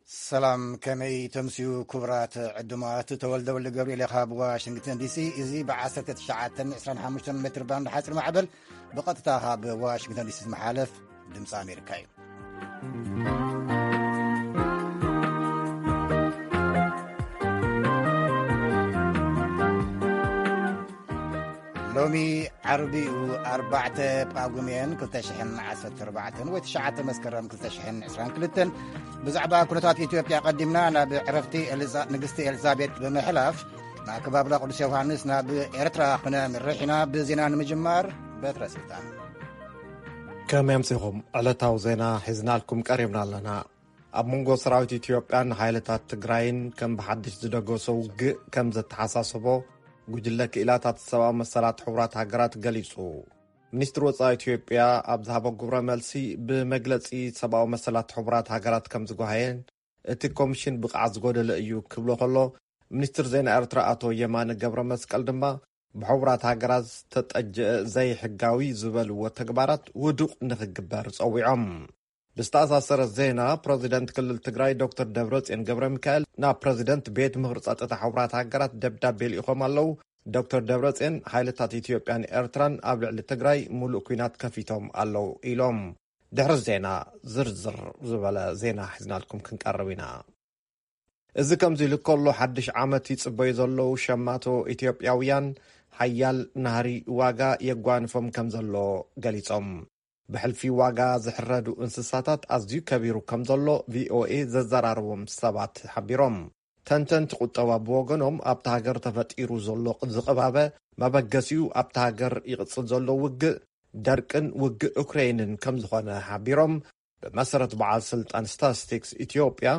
ሰላም፣ ከመይ ተምስዩ ክቡራት ዕዱማት? ተወልደ ወልደ ገብርኤል ካብ ዋሽንግተን ዲሲ። እዚ ብ1925 ሜትር ባንድ ሓፂር ማዕበል ብቐጥታ ካብ ዋሽንግተን ዲሲ ዝመሓለፍ ድምፂ ኣሜሪካ እዩ። ሎሚ ዓርቢኡ ኣርባዕተ ጳጉሜን ክልተ ሽሕን ዓሰርተ ኣርባዕተን ወይ ትሽዓተ መስከረም ክልተ ሽሕን ዕስራን ክልተን፣ ብዛዕባ ኩነታት ኢትዮጵያ ቀዲምና ናብ ዕረፍቲ ኤልዛ-፣ ንግስቲ ኤልዛቤጥ ብምሕላፍ፣ ናብ ከባብላ ቅዱስ ዮሃንስ ናብ ኤርትራ ክነምርሕ ኢና። ብዜና ንምጅማር፣ በትረ ስልጣን። ከመይ ኣምሲኹም? ዕለታዊ ዜና ሒዝናልኩም ቀሪብና ኣለና። ኣብ መንጎ ሰራዊት ኢትዮጵያን ሓይልታት ትግራይን ከም ብሓድሽ ዝደገሶ ውግእ ከም ዘተሓሳሰቦ ጉጅለ ክኢላታት ሰብኣዊ መሰላት ሕቡራት ሃገራት ገሊጹ። ሚኒስትሪ ወጻኢ ኢትዮጵያ ኣብ ዝሃቦ ግብረ መልሲ፣ ብመግለጺ ሰብኣዊ መሰላት ሕቡራት ሃገራት ከም ዝጓሃየን እቲ ኮሚሽን ብቕዓት ዝጎደለ እዩ ክብሎ ከሎ፣ ሚኒስትር ዜና ኤርትራ ኣቶ የማነ ገብረ መስቀል ድማ ብሕቡራት ሃገራት ዝተጠጀአ ዘይሕጋዊ ዝበልዎ ተግባራት ውዱቕ ንኽግበር ጸዊዖም። ብዝተኣሳሰረ ዜና፣ ፕረዚደንት ክልል ትግራይ ዶክተር ደብረጽዮን ገብረ ሚካኤል ናብ ፕረዚደንት ቤት ምኽሪ ጸጥታ ሕቡራት ሃገራት ደብዳቤ ልኢኾም ኣለዉ። ዶክተር ደብረጽዮን፣ ሓይልታት ኢትዮጵያን ኤርትራን ኣብ ልዕሊ ትግራይ ሙሉእ ኲናት ከፊቶም ኣለዉ ኢሎም። ድሕሪ ዜና፣ ዝርዝር ዝበለ ዜና ሒዝናልኩም ክንቀርብ ኢና። እዚ ከምዚ ኢሉ ከሎ፣ ሓድሽ ዓመት ይጽበዩ ዘለዉ ሸማቶ ኢትዮጵያውያን፣ ሓያል ናህሪ ዋጋ የጓንፎም ከም ዘሎ ገሊጾም። ብሕልፊ ዋጋ ዝሕረዱ እንስሳታት ኣዝዩ ከቢሩ ከም ዘሎ ቪኦኤ ዘዘራረቦም ሰባት ሓቢሮም። ተንተንቲ ቁጠባ ብወገኖም፣ ኣብታ ሃገር ተፈጢሩ ዘሎ ዝቕባበ መበገሲኡ ኣብታ ሃገር ይቕጽል ዘሎ ውግእ፣ ደርቅን ውግእ ዩክሬይንን ከም ዝኾነ ሓቢሮም። ብመሰረት በዓል ስልጣን ስታትስቲክስ ኢትዮጵያ፣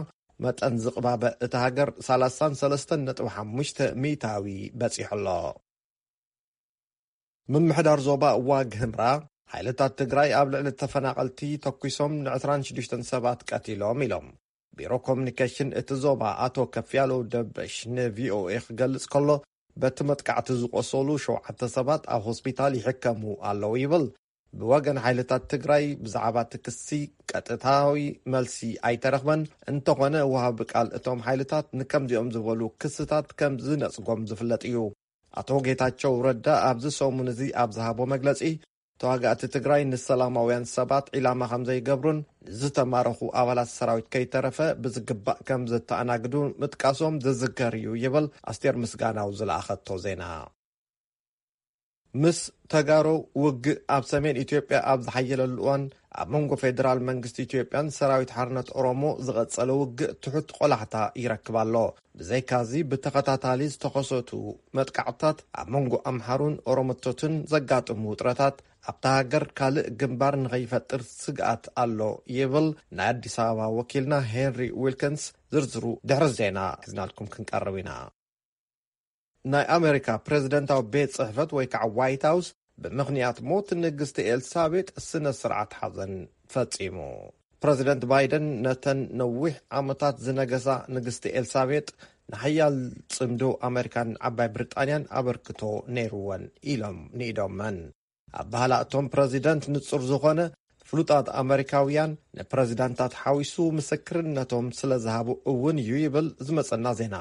መጠን ዝቕባበ እታ ሃገር ሰላሳን ሰለስተን ነጥቢ ሓሙሽተ ሚእታዊ በጺሑ ኣሎ። ምምሕዳር ዞባ ዋግ ህምራ፣ ሓይልታት ትግራይ ኣብ ልዕሊ ተፈናቐልቲ ተኩሶም ንዕስራን ሽዱሽተን ሰባት ቀቲሎም ኢሎም። ቢሮ ኮሚኒኬሽን እቲ ዞባ ኣቶ ከፍያለው ደበሽ ንቪኦኤ ክገልጽ ከሎ፣ በቲ መጥቃዕቲ ዝቆሰሉ ሸውዓተ ሰባት ኣብ ሆስፒታል ይሕከሙ ኣለዉ ይብል። ብወገን ሓይልታት ትግራይ ብዛዕባ እቲ ክሲ ቀጥታዊ መልሲ ኣይተረኽበን። እንተኾነ፣ ወሃቢ ቃል እቶም ሓይልታት ንከምዚኦም ዝበሉ ክስታት ከም ዝነጽጎም ዝፍለጥ እዩ። ኣቶ ጌታቸው ረዳ ኣብዚ ሰሙን እዚ ኣብ ዝሃቦ መግለጺ፣ ተዋጋእቲ ትግራይ ንሰላማውያን ሰባት ዒላማ ከም ዘይገብሩን ንዝተማረኹ ኣባላት ሰራዊት ከይተረፈ ብዝግባእ ከም ዘተኣናግዱ ምጥቃሶም ዝዝከር እዩ ይብል ኣስቴር ምስጋናው ዝለኣኸቶ ዜና። ምስ ተጋሩ ውግእ ኣብ ሰሜን ኢትዮጵያ ኣብ ዝሓየለሉ እዋን፣ ኣብ መንጎ ፌደራል መንግስቲ ኢትዮጵያን ሰራዊት ሓርነት ኦሮሞ ዝቐጸለ ውግእ ትሑት ቆላሕታ ይረክብ ኣሎ። ብዘይካዚ፣ ብተኸታታሊ ዝተኸሰቱ መጥቃዕትታት ኣብ መንጎ ኣምሓሩን ኦሮሞቶትን ዘጋጥሙ ውጥረታት፣ ኣብታ ሃገር ካልእ ግንባር ንኸይፈጥር ስግኣት ኣሎ ይብል ናይ ኣዲስ ኣበባ ወኪልና ሄንሪ ዊልኪንስ። ዝርዝሩ ድሕሪ ዜና ሒዝናልኩም ክንቀርብ ኢና። ናይ ኣሜሪካ ፕሬዝደንታዊ ቤት ጽሕፈት ወይ ከዓ ዋይት ሃውስ ብምኽንያት ሞት ንግስቲ ኤልሳቤጥ ስነ ስርዓት ሓዘን ፈጺሙ። ፕሬዝደንት ባይደን ነተን ነዊሕ ዓመታት ዝነገሳ ንግስቲ ኤልሳቤጥ ንሓያል ጽምዶ ኣሜሪካን ዓባይ ብሪጣንያን ኣበርክቶ ነይርወን ኢሎም ንኢዶመን። ኣባህላ እቶም ፕረዚደንት ንጹር ዝኾነ፣ ፍሉጣት ኣመሪካውያን ንፕረዚዳንታት ሓዊሱ ምስክርነቶም ስለ ዝሃቡ እውን እዩ ይብል ዝመጸና ዜና።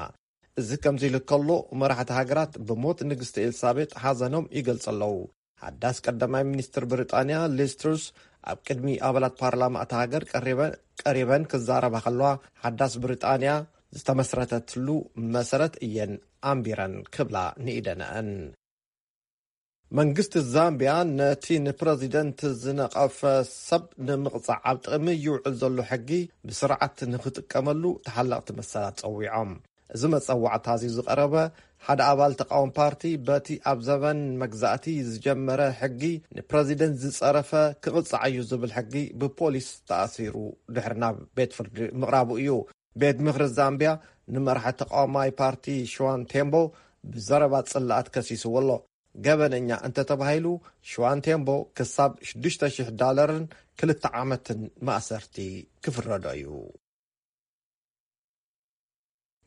እዚ ከምዚ ኢሉ ከሎ፣ መራሕቲ ሃገራት ብሞት ንግስቲ ኤልሳቤጥ ሓዘኖም ይገልጹ ኣለዉ። ሓዳስ ቀዳማይ ሚኒስትር ብሪጣንያ ሊዝ ትሩስ ኣብ ቅድሚ ኣባላት ፓርላማ እታ ሃገር ቀሪበን፣ ቀሪበን ክዛረባ ከለዋ፣ ሓዳስ ብሪጣንያ ዝተመስረተትሉ መሰረት እየን ኣንቢረን ክብላ ንኢደነአን። መንግስቲ ዛምቢያ ነቲ ንፕረዚደንት ዝነቐፈ ሰብ ንምቕጻዕ ኣብ ጥቕሚ ይውዕል ዘሎ ሕጊ ብስርዓት ንኽጥቀመሉ ተሓለቕቲ መሰላት ጸዊዖም። እዚ መጸዋዕታ እዚ ዝቐረበ፣ ሓደ ኣባል ተቃወም ፓርቲ በቲ ኣብ ዘበን መግዛእቲ ዝጀመረ ሕጊ ንፕረዚደንት ዝጸረፈ ክቕጻዕ እዩ ዝብል ሕጊ ብፖሊስ ተኣሲሩ ድሕሪ ናብ ቤት ፍርዲ ምቕራቡ እዩ። ቤት ምኽሪ ዛምቢያ ንመራሒ ተቃዋማይ ፓርቲ ሽዋን ቴምቦ ብዘረባ ጽላኣት ከሲስዎ ኣሎ። ገበነኛ እንተተባሂሉ፣ ሽዋን ቴምቦ ክሳብ ሽዱሽተ ሽሕ ዳለርን ክልተ ዓመትን ማእሰርቲ ክፍረዶ እዩ።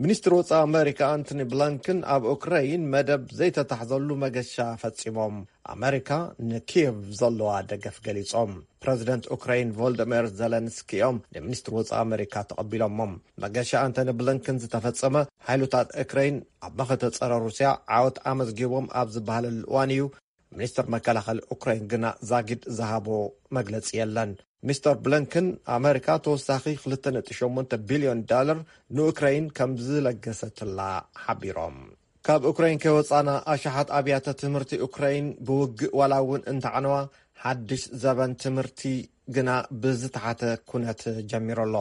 ሚኒስትር ወጻኢ ኣመሪካ ኣንቶኒ ብሊንከን ኣብ ኡክራይን መደብ ዘይተታሕዘሉ መገሻ ፈጺሞም። ኣመሪካ ንኪየቭ ዘለዋ ደገፍ ገሊጾም። ፕረዚደንት ኡክራይን ቮልደሚር ዘለንስኪ እዮም ንሚኒስትር ወጻኢ ኣመሪካ ተቐቢሎሞም። መገሻ ኣንቶኒ ብሊንከን ዝተፈጸመ፣ ሓይሉታት ኡክራይን ኣብ መኸተ ጸረ ሩስያ ዓወት ኣመዝጊቦም ኣብ ዝበሃለሉ እዋን እዩ። ሚኒስትር መከላኸሊ ኡክራይን ግና ዛጊድ ዝሃቦ መግለጺ የለን። ሚስተር ብሊንከን፣ ኣመሪካ ተወሳኺ ክልተ ነጥቢ ሸሞንተ ቢልዮን ዳለር ንኡክራይን ከም ዝለገሰትላ ሓቢሮም። ካብ ኡክራይን ከይወጻና፣ ኣሽሓት ኣብያተ ትምህርቲ ኡክራይን ብውግእ ዋላ እውን እንተዓነዋ፣ ሓድሽ ዘበን ትምህርቲ ግና ብዝተሓተ ኩነት ጀሚሩ ኣሎ።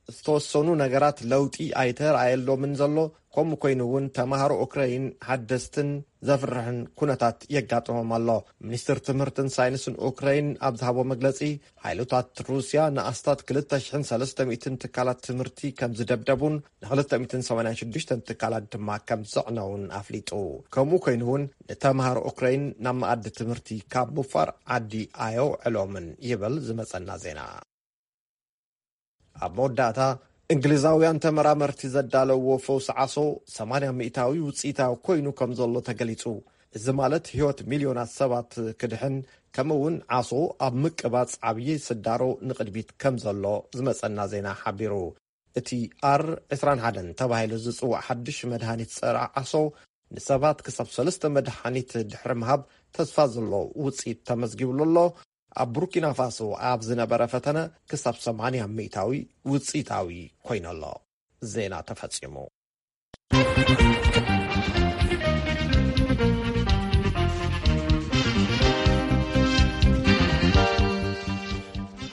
ዝተወሰኑ ነገራት ለውጢ ኣይተራእየሎምን ዘሎ። ከምኡ ኮይኑ እውን፣ ተማሃሮ ኡክራይን ሓደስትን ዘፍርሕን ኩነታት የጋጥሞም ኣሎ። ሚኒስትር ትምህርትን ሳይንስን ኡክራይን ኣብ ዝሃቦ መግለጺ፣ ሓይሎታት ሩስያ ንኣስታት ክልተ ሽሕን ሰለስተ ሚእትን ትካላት ትምህርቲ ከም ዝደብደቡን ን286 ትካላት ድማ ከም ዘዕነውን ኣፍሊጡ። ከምኡ ኮይኑ እውን፣ ንተምሃሮ ኡክራይን ናብ መኣዲ ትምህርቲ ካብ ምፋር ዓዲ ኣየውዕሎምን ይብል ዝመጸና ዜና። ኣብ መወዳእታ፣ እንግሊዛውያን ተመራመርቲ ዘዳለውዎ ፈውሲ ዓሶ ሰማንያ ሚእታዊ ውጽኢታዊ ኮይኑ ከም ዘሎ ተገሊጹ። እዚ ማለት፣ ህይወት ሚልዮናት ሰባት ክድሕን፣ ከምኡ እውን ዓሶ ኣብ ምቅባጽ ዓብዪ ስዳሮ ንቕድሚት ከም ዘሎ ዝመጸና ዜና ሓቢሩ። እቲ ኣር ዕስራን ሓደን ተባሂሉ ዝጽዋዕ ሓድሽ መድሃኒት ጸረ ዓሶ፣ ንሰባት ክሳብ ሰለስተ መድሃኒት ድሕሪ ምሃብ ተስፋ ዘሎ ውጽኢት ተመዝጊብሉ ኣሎ። ኣብ ቡርኪና ፋሶ ኣብ ዝነበረ ፈተነ ክሳብ ሰማንያ ሚእታዊ ውጽኢታዊ ኮይኑ ኣሎ። ዜና ተፈጺሙ።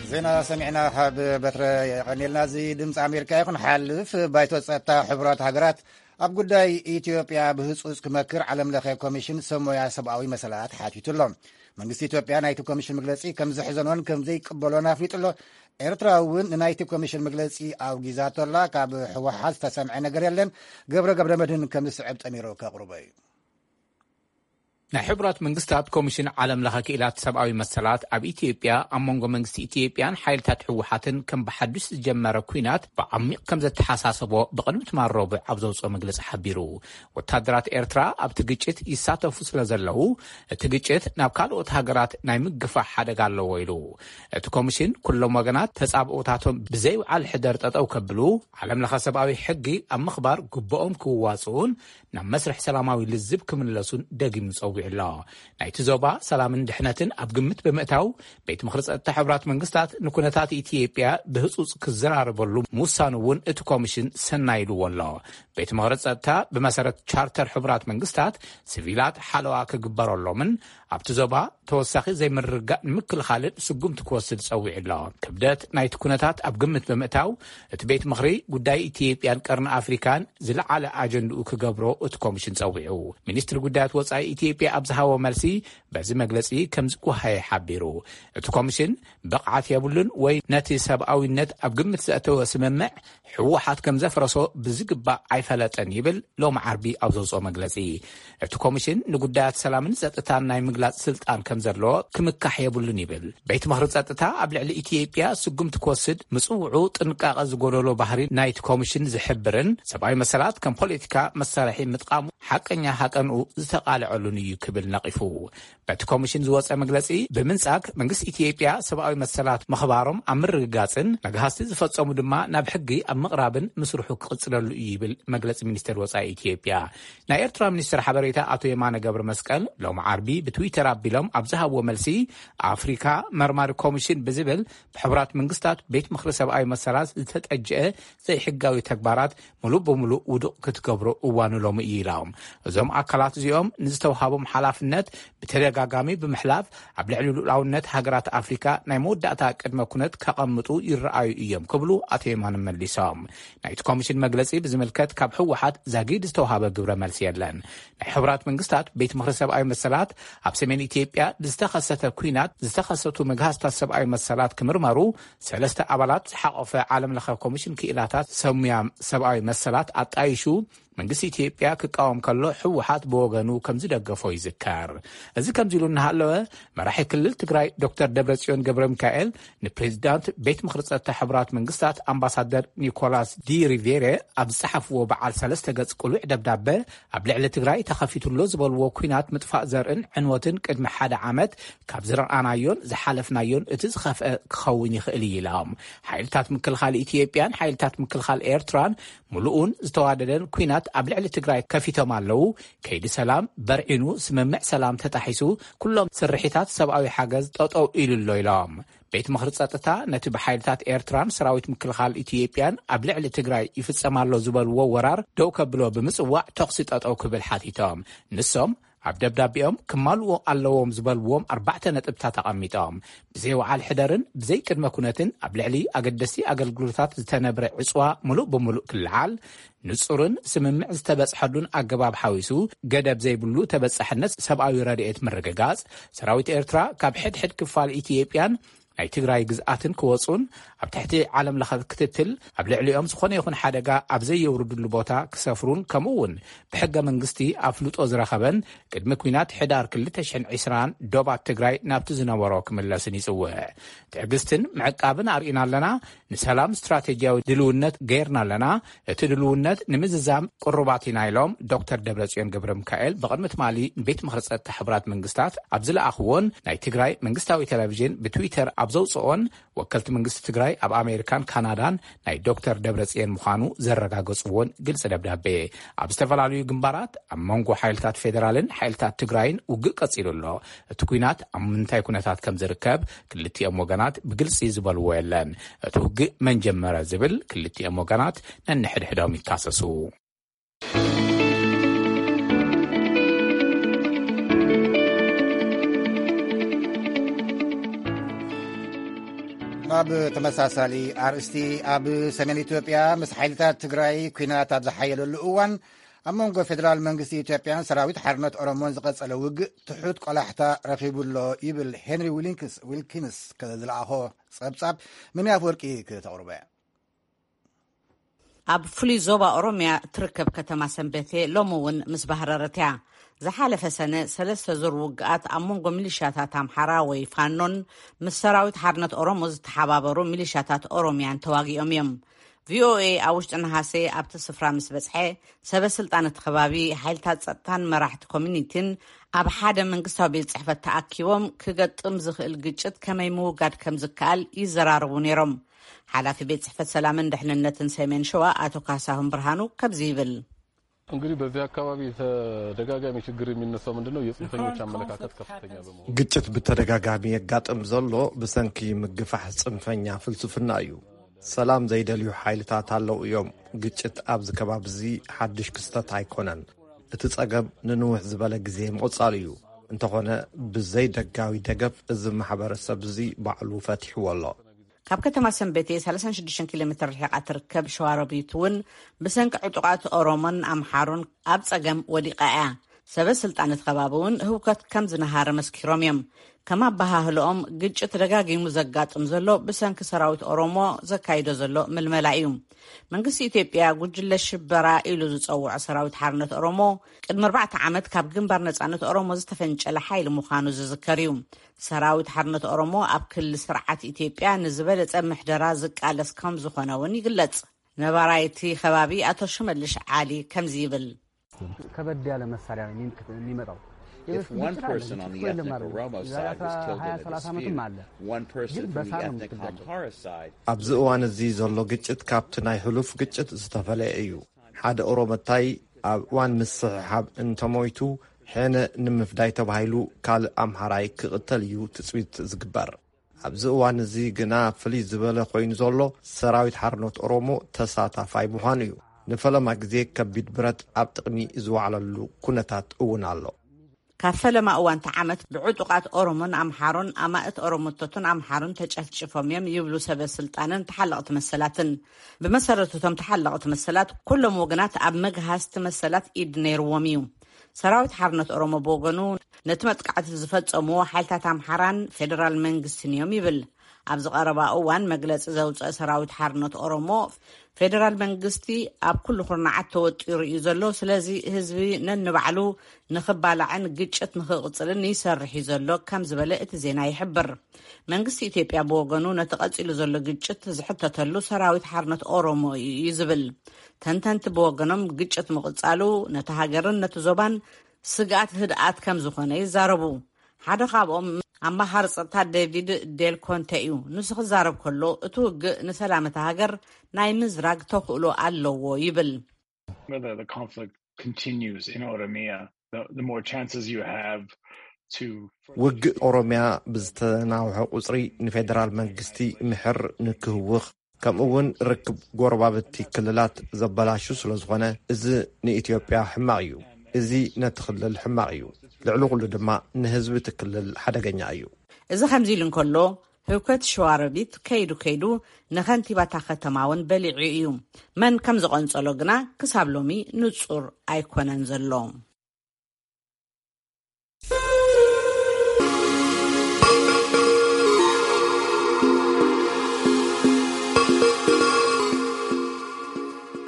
ዜና ሰሚዕና ካብ በትረ የቐኒልና። እዚ ድምፂ ኣሜሪካ ይኹን ሓልፍ። ባይቶ ጸጥታ ሕቡራት ሃገራት ኣብ ጉዳይ ኢትዮጵያ ብህጹጽ ክመክር ዓለም ለኸ ኮሚሽን ሰብ ሞያ ሰብኣዊ መሰላት ሓቲቱ ኣሎ። መንግስቲ ኢትዮጵያ ናይቲ ኮሚሽን መግለጺ ከም ዘሕዘኖን ከም ዘይቅበሎን ኣፍሊጡ ኣሎ። ኤርትራ እውን ንናይቲ ኮሚሽን መግለጺ ኣውጊዛቶ ኣላ። ካብ ህወሓት ዝተሰምዐ ነገር የለን። ገብረ ገብረ መድህን ከም ዝስዕብ ጠሚሩ ከቕርቦ እዩ። ናይ ሕቡራት መንግስታት ኮሚሽን ዓለም ለኸ ክኢላት ሰብኣዊ መሰላት ኣብ ኢትዮጵያ ኣብ መንጎ መንግስቲ ኢትዮጵያን ሓይልታት ህወሓትን ከም ብሓዱሽ ዝጀመረ ኲናት ብዓሚቕ ከም ዘተሓሳሰቦ ብቕድሚ ትማል ረቡዕ ኣብ ዘውፅኦ መግለፂ ሓቢሩ። ወታደራት ኤርትራ ኣብቲ ግጭት ይሳተፉ ስለ ዘለዉ፣ እቲ ግጭት ናብ ካልኦት ሃገራት ናይ ምግፋሕ ሓደጋ ኣለዎ ኢሉ። እቲ ኮሚሽን ኩሎም ወገናት ተጻብኦታቶም ብዘይውዓል ሕደር ጠጠው ከብሉ፣ ዓለም ለኸ ሰብኣዊ ሕጊ ኣብ ምኽባር ግብኦም ክዋፅኡን ናብ መስርሕ ሰላማዊ ልዝብ ክምለሱን ደጊሙ ጸዊዑ ኣሎ። ናይቲ ዞባ ሰላምን ድሕነትን ኣብ ግምት ብምእታው፣ ቤት ምኽሪ ጸጥታ ሕቡራት መንግስታት ንኩነታት ኢትዮጵያ ብህጹጽ ክዘራረበሉ ምውሳኑ እውን እቲ ኮሚሽን ሰናይ ኢልዎ ኣሎ። ቤት ምኽሪ ጸጥታ ብመሰረት ቻርተር ሕቡራት መንግስታት፣ ሲቪላት ሓለዋ ክግበረሎምን ኣብቲ ዞባ ተወሳኺ ዘይምርግጋእ ንምክልኻልን ስጉምቲ ክወስድ ጸዊዑ ኣሎ። ክብደት ናይቲ ኩነታት ኣብ ግምት ብምእታው፣ እቲ ቤት ምኽሪ ጉዳይ ኢትዮጵያን ቀርኒ ኣፍሪካን ዝለዓለ ኣጀንድኡ ክገብሮ እቲ ኮሚሽን ጸዊዑ። ሚኒስትሪ ጉዳያት ወጻኢ ኢትዮጵያ ኣብ ዝሃቦ መልሲ፣ በዚ መግለጺ ከም ዝጓሃየ ሓቢሩ። እቲ ኮሚሽን ብቕዓት የብሉን ወይ ነቲ ሰብኣዊነት ኣብ ግምት ዘእተወ ስምምዕ ህወሓት ከም ዘፍረሶ ብዝግባእ ኣይፈለጠን ይብል ሎሚ ዓርቢ ኣብ ዘውፅኦ መግለፂ። እቲ ኮሚሽን ንጉዳያት ሰላምን ጸጥታን ናይ ምግላጽ ስልጣን ከም ዘለዎ ክምካሕ የብሉን ይብል። ቤት ምኽሪ ጸጥታ ኣብ ልዕሊ ኢትዮጵያ ስጉምቲ ክወስድ ምጽውዑ ጥንቃቐ ዝጎደሎ ባህሪ ናይቲ ኮሚሽን ዝሕብርን ሰብኣዊ መሰላት ከም ፖለቲካ መሳርሒ ምጥቃሙ ሓቀኛ ሃቀንኡ ዝተቓልዐሉን እዩ ክብል ነቒፉ። በቲ ኮሚሽን ዝወጸ መግለጺ ብምንጻግ መንግስቲ ኢትዮጵያ ሰብኣዊ መሰላት ምኽባሮም ኣብ ምርግጋጽን መግሃስቲ ዝፈጸሙ ድማ ናብ ሕጊ ኣብ ምቕራብን ምስርሑ ክቕጽለሉ እዩ ይብል መግለጺ ሚኒስቴር ወጻኢ ኢትዮጵያ። ናይ ኤርትራ ሚኒስትር ሓበሬታ ኣቶ የማነ ገብረ መስቀል ሎም ዓርቢ ብትዊተር ኣቢሎም ኣብ ዝሃብዎ መልሲ፣ ኣፍሪካ መርማሪ ኮሚሽን ብዝብል ብሕቡራት መንግስታት ቤት ምኽሪ ሰብኣዊ መሰላት ዝተጠጀአ ዘይሕጋዊ ተግባራት ሙሉእ ብሙሉእ ውዱቕ ክትገብሮ እዋኑ ሎሚ እዩ ኢሎም። እዞም ኣካላት እዚኦም ንዝተውሃቦም ሓላፍነት ብተደጋጋሚ ብምሕላፍ ኣብ ልዕሊ ሉዓላውነት ሃገራት ኣፍሪካ ናይ መወዳእታ ቅድመ ኩነት ከቐምጡ ይረኣዩ እዮም ክብሉ ኣቶ የማነ መሊሶም። ናይቲ ኮሚሽን መግለጺ ብዝምልከት ካብ ህወሓት ዛጊድ ዝተውሃበ ግብረ መልሲ የለን። ናይ ሕቡራት መንግስታት ቤት ምኽሪ ሰብኣዊ መሰላት ኣብ ሰሜን ኢትዮጵያ ብዝተኸሰተ ኲናት ዝተኸሰቱ መግሃስታት ሰብኣዊ መሰላት ክምርመሩ ሰለስተ ኣባላት ዝሓቖፈ ዓለም ለኸ ኮሚሽን ክኢላታት ሰሙያ ሰብኣዊ መሰላት ኣጣይሹ መንግስቲ ኢትዮጵያ ክቃወም ከሎ፣ ህወሓት ብወገኑ ከም ዝደገፎ ይዝከር። እዚ ከምዚ ኢሉ እናሃለወ፣ መራሒ ክልል ትግራይ ዶክተር ደብረጽዮን ገብረ ሚካኤል ንፕሬዚዳንት ቤት ምኽሪ ጸጥታ ሕቡራት መንግስታት ኣምባሳደር ኒኮላስ ዲ ሪቬሬ ኣብ ዝጸሓፍዎ በዓል ሰለስተ ገጽ ቅሉዕ ደብዳበ፣ ኣብ ልዕሊ ትግራይ ተኸፊቱ ኣሎ ዝበልዎ ኲናት ምጥፋእ ዘርእን ዕንወትን ቅድሚ ሓደ ዓመት ካብ ዝረኣናዮን ዝሓለፍናዮን እቲ ዝኸፍአ ክኸውን ይኽእል እዩ ኢሎም። ሓይልታት ምክልኻል ኢትዮጵያን ሓይልታት ምክልኻል ኤርትራን ምሉእን ዝተዋደደን ኲናት ኣብ ልዕሊ ትግራይ ከፊቶም ኣለዉ። ከይዲ ሰላም በርዒኑ፣ ስምምዕ ሰላም ተጣሒሱ፣ ኩሎም ስርሒታት ሰብኣዊ ሓገዝ ጠጠው ኢሉ ኣሎ ኢሎም። ቤት ምኽሪ ጸጥታ ነቲ ብሓይልታት ኤርትራን ሰራዊት ምክልኻል ኢትዮጵያን ኣብ ልዕሊ ትግራይ ይፍጸም ኣሎ ዝበልዎ ወራር ደው ከብሎ ብምጽዋዕ፣ ተኹሲ ጠጠው ክብል ሓቲቶም። ንሶም ኣብ ደብዳቤኦም ክማልኡ ኣለዎም ዝበልዎም ኣርባዕተ ነጥብታት ኣቐሚጦም። ብዘይ ወዓል ሕደርን ብዘይ ቅድመ ኩነትን ኣብ ልዕሊ ኣገደስቲ ኣገልግሎታት ዝተነብረ ዕጽዋ ምሉእ ብምሉእ ክለዓል፣ ንጹርን ስምምዕ ዝተበጽሐሉን ኣገባብ ሓዊሱ፣ ገደብ ዘይብሉ ተበጻሕነት ሰብኣዊ ረድኤት ምርግጋጽ፣ ሰራዊት ኤርትራ ካብ ሕድሕድ ክፋል ኢትዮጵያን ናይ ትግራይ ግዝኣትን ክወጹን፣ ኣብ ትሕቲ ዓለም ለኸ ክትትል ኣብ ልዕሊኦም ዝኾነ ይኹን ሓደጋ ኣብ ዘየውርድሉ ቦታ ክሰፍሩን፣ ከምኡ እውን ብሕገ መንግስቲ ኣፍልጦ ዝረኸበን ቅድሚ ኲናት ሕዳር ክልተ ሽሕን ዕስራን ዶባት ትግራይ ናብቲ ዝነበሮ ክምለስን ይጽውዕ። ትዕግስትን ምዕቃብን ኣርኢና ኣለና። ንሰላም ስትራቴጂያዊ ድልውነት ገይርና ኣለና። እቲ ድልውነት ንምዝዛም ቅሩባት ኢና ኢሎም ዶክተር ደብረጽዮን ገብረ ሚካኤል ብቕድሚ ትማሊ ንቤት ምኽሪ ጸጥታ ሕቡራት መንግስታት ኣብ ዝለኣኽዎን ናይ ትግራይ መንግስታዊ ቴሌቪዥን ብትዊተር ኣብ ዘውፅኦን፣ ወከልቲ መንግስቲ ትግራይ ኣብ ኣሜሪካን ካናዳን ናይ ዶክተር ደብረጽዮን ምዃኑ ዘረጋገፅዎን ግልፂ ደብዳቤ። ኣብ ዝተፈላለዩ ግንባራት ኣብ መንጎ ሓይልታት ፌዴራልን ሓይልታት ትግራይን ውግእ ቀፂሉ ኣሎ። እቲ ኲናት ኣብ ምንታይ ኩነታት ከም ዝርከብ ክልቲኦም ወገናት ብግልፂ ዝበልዎ የለን። እቲ ውግእ መን ጀመረ ዝብል ክልቲኦም ወገናት ነንሕድሕዶም ይካሰሱ። ናብ ተመሳሳሊ ኣርእስቲ፣ ኣብ ሰሜን ኢትዮጵያ ምስ ሓይልታት ትግራይ ኲናት ኣብ ዝሓየለሉ እዋን፣ ኣብ መንጎ ፌደራል መንግስቲ ኢትዮጵያን ሰራዊት ሓርነት ኦሮሞን ዝቐጸለ ውግእ ትሑት ቆላሕታ ረኺቡ ኣሎ ይብል ሄንሪ ዊሊንክስ፣ ዊልኪንስ ዝለኣኾ ጸብጻብ። ምን ኣፍወርቂ ክተቕርቦ እያ። ኣብ ፍሉይ ዞባ ኦሮምያ እትርከብ ከተማ ሰንበቴ ሎሚ እውን ምስ ባህረረት እያ። ዝሓለፈ ሰነ ሰለስተ ዙር ውግኣት ኣብ መንጎ ሚሊሻታት ኣምሓራ ወይ ፋኖን ምስ ሰራዊት ሓርነት ኦሮሞ ዝተሓባበሩ ሚሊሻታት ኦሮምያን ተዋጊኦም እዮም። ቪኦኤ ኣብ ውሽጢ ነሃሴ ኣብቲ ስፍራ ምስ በጽሐ፣ ሰበ ስልጣን እቲ ከባቢ፣ ሓይልታት ጸጥታን መራሕቲ ኮሚኒቲን ኣብ ሓደ መንግስታዊ ቤት ጽሕፈት ተኣኪቦም ክገጥም ዝኽእል ግጭት ከመይ ምውጋድ ከም ዝከኣል ይዘራረቡ ነይሮም። ሓላፊ ቤት ጽሕፈት ሰላምን ድሕንነትን ሰሜን ሸዋ ኣቶ ካሳሁን ብርሃኑ ከምዚ ይብል። እንግዲህ በዚህ አካባቢ ተደጋጋሚ ችግር የሚነሳው ምንድነው? የጽንፈኞች አመለካከት ከፍተኛ በመሆኑ። ግጭት ብተደጋጋሚ የጋጥም ዘሎ ብሰንኪ ምግፋሕ ጽንፈኛ ፍልስፍና እዩ። ሰላም ዘይደልዩ ሓይልታት ኣለዉ እዮም። ግጭት ኣብዚ ከባቢ እዚ ሓድሽ ክስተት ኣይኮነን። እቲ ጸገም ንንውሕ ዝበለ ግዜ ምቕጻሉ እዩ። እንተኾነ ብዘይ ደጋዊ ደገፍ እዚ ማሕበረሰብ እዚ ባዕሉ ፈቲሕዎ ኣሎ። ካብ ከተማ ሰንበቴ ሰላሳን ሽዱሽተን ኪሎ ሜትር ርሒቓ ትርከብ ሸዋሮቢት እውን ብሰንኪ ዕጡቓት ኦሮሞን ኣምሓሩን ኣብ ጸገም ወዲቓ እያ። ሰበ ስልጣን እቲ ከባቢ እውን ህውከት ከም ዝነሃረ መስኪሮም እዮም። ከም ኣበሃህልኦም፣ ግጭት ደጋጊሙ ዘጋጥም ዘሎ ብሰንኪ ሰራዊት ኦሮሞ ዘካይዶ ዘሎ ምልመላ እዩ። መንግስቲ ኢትዮጵያ ጉጅለ ሽበራ ኢሉ ዝጸውዖ ሰራዊት ሓርነት ኦሮሞ፣ ቅድሚ ኣርባዕተ ዓመት ካብ ግንባር ነጻነት ኦሮሞ ዝተፈንጨለ ሓይሊ ምዃኑ ዝዝከር እዩ። ሰራዊት ሓርነት ኦሮሞ ኣብ ክሊ ስርዓት ኢትዮጵያ ንዝበለጸ ምሕደራ ዝቃለስ ከም ዝኾነ እውን ይግለጽ። ነባራይ እቲ ከባቢ ኣቶ ሽመልሽ ዓሊ ከምዚ ይብል። ከበድ ያለ መሳሪያ ነው የሚመጣው። If one person on the ethnic Oromo side was killed in a dispute, one person from the ethnic Amhara side ኣብዚ እዋን እዚ ዘሎ ግጭት ካብቲ ናይ ሕሉፍ ግጭት ዝተፈለየ እዩ። ሓደ ኦሮመታይ ኣብ እዋን ምስሕሓብ እንተሞይቱ፣ ሕነ ንምፍዳይ ተባሂሉ ካልእ ኣምሓራይ ክቕተል እዩ ትጽቢት ዝግበር። ኣብዚ እዋን እዚ ግና ፍልይ ዝበለ ኮይኑ ዘሎ ሰራዊት ሓርነት ኦሮሞ ተሳታፋይ ምዃኑ እዩ። ንፈለማ ግዜ ከቢድ ብረት ኣብ ጥቕሚ ዝወዓለሉ ኩነታት እውን ኣሎ። ካብ ፈለማ እዋንቲ ዓመት ብዕጡቓት ኦሮሞን ኣምሓሮን ኣማእት ኦሮሞቶትን ኣምሓሮን ተጨፍጭፎም እዮም ይብሉ ሰበ ስልጣንን ተሓለቕቲ መሰላትን። ብመሰረቱ እቶም ተሓለቕቲ መሰላት ኩሎም ወገናት ኣብ መግሃስቲ መሰላት ኢድ ነይርዎም እዩ። ሰራዊት ሓርነት ኦሮሞ ብወገኑ ነቲ መጥቃዕቲ ዝፈጸምዎ ሓይልታት ኣምሓራን ፌደራል መንግስትን እዮም ይብል። ኣብዚ ቀረባ እዋን መግለጺ ዘውፅአ ሰራዊት ሓርነት ኦሮሞ፣ ፌደራል መንግስቲ ኣብ ኩሉ ኩርናዓት ተወጢሩ እዩ ዘሎ፣ ስለዚ ህዝቢ ነንባዕሉ ንኽባላዕን ግጭት ንኽቕፅልን ይሰርሕ እዩ ዘሎ ከም ዝበለ እቲ ዜና ይሕብር። መንግስቲ ኢትዮጵያ ብወገኑ ነቲ ቀፂሉ ዘሎ ግጭት ዝሕተተሉ ሰራዊት ሓርነት ኦሮሞ እዩ እዩ ዝብል። ተንተንቲ ብወገኖም ግጭት ምቕፃሉ ነቲ ሃገርን ነቲ ዞባን ስግኣት ህድኣት ከም ዝኾነ ይዛረቡ። ሓደ ካብኦም ኣማኻሪ ጸጥታ ዴቪድ ዴል ኮንተ እዩ። ንሱ ክዛረብ ከሎ፣ እቲ ውግእ ንሰላም እታ ሃገር ናይ ምዝራግ ተኽእሎ ኣለዎ ይብል። Whether the conflict continues in Oromia, the, the more chances you have to ውግእ ኦሮሚያ ብዝተናውሐ ቁፅሪ ንፌደራል መንግስቲ ምሕር ንክህውኽ፣ ከምኡ እውን ርክብ ጎረባብቲ ክልላት ዘበላሹ ስለ ዝኾነ፣ እዚ ንኢትዮጵያ ሕማቕ እዩ። እዚ ነቲ ክልል ሕማቕ እዩ። ልዕሊ ኩሉ ድማ ንህዝቢ እቲ ክልል ሓደገኛ እዩ። እዚ ከምዚ ኢሉ እንከሎ፣ ህውከት ሸዋሮቢት ከይዱ ከይዱ ንኸንቲባታ ከተማ እውን በሊዑ እዩ። መን ከም ዝቐንጸሎ ግና ክሳብ ሎሚ ንጹር ኣይኮነን ዘሎ።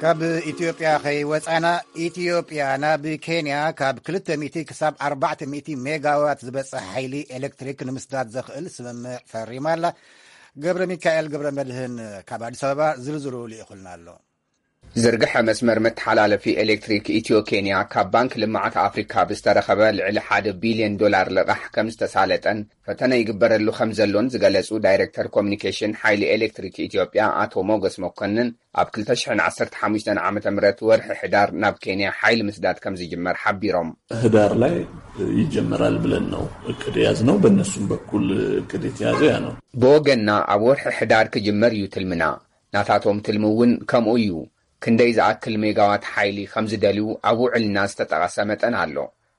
ካብ ኢትዮጵያ ከይወፃና፣ ኢትዮጵያ ናብ ኬንያ ካብ ክልተ ሚእቲ ክሳብ ኣርባዕተ ሚእቲ ሜጋዋት ዝበፅሕ ሓይሊ ኤሌክትሪክ ንምስዳድ ዘኽእል ስምምዕ ፈሪማ ኣላ። ገብረ ሚካኤል ገብረ መድህን ካብ ኣዲስ ኣበባ ዝርዝሩ ልኢኹልና ኣሎ። ዝርግሐ መስመር መተሓላለፊ ኤሌክትሪክ ኢትዮ ኬንያ ካብ ባንክ ልምዓት ኣፍሪካ ብዝተረኸበ ልዕሊ ሓደ ቢልዮን ዶላር ልቓሕ ከም ዝተሳለጠን ፈተነ ይግበረሉ ከም ዘሎን ዝገለጹ ዳይሬክተር ኮሚኒኬሽን ሓይሊ ኤሌክትሪክ ኢትዮጵያ ኣቶ ሞገስ መኮንን፣ ኣብ ክልተ ሽሕን ዓሰርተ ሓሙሽተን ዓመተ ምህረት ወርሒ ሕዳር ናብ ኬንያ ሓይሊ ምስዳድ ከም ዝጅመር ሓቢሮም። ህዳር ላይ ይጀመራል ብለን ነው እቅድ የያዝነው። በእነሱም በኩል እቅድ የተያዘው ያ ነው። ብወገንና ኣብ ወርሒ ሕዳር ክጅመር እዩ ትልምና። ናታቶም ትልሚ እውን ከምኡ እዩ። ክንደይ ዝኣክል ሜጋዋት ሓይሊ ከም ዝደልዩ ኣብ ውዕልና ዝተጠቐሰ መጠን ኣሎ።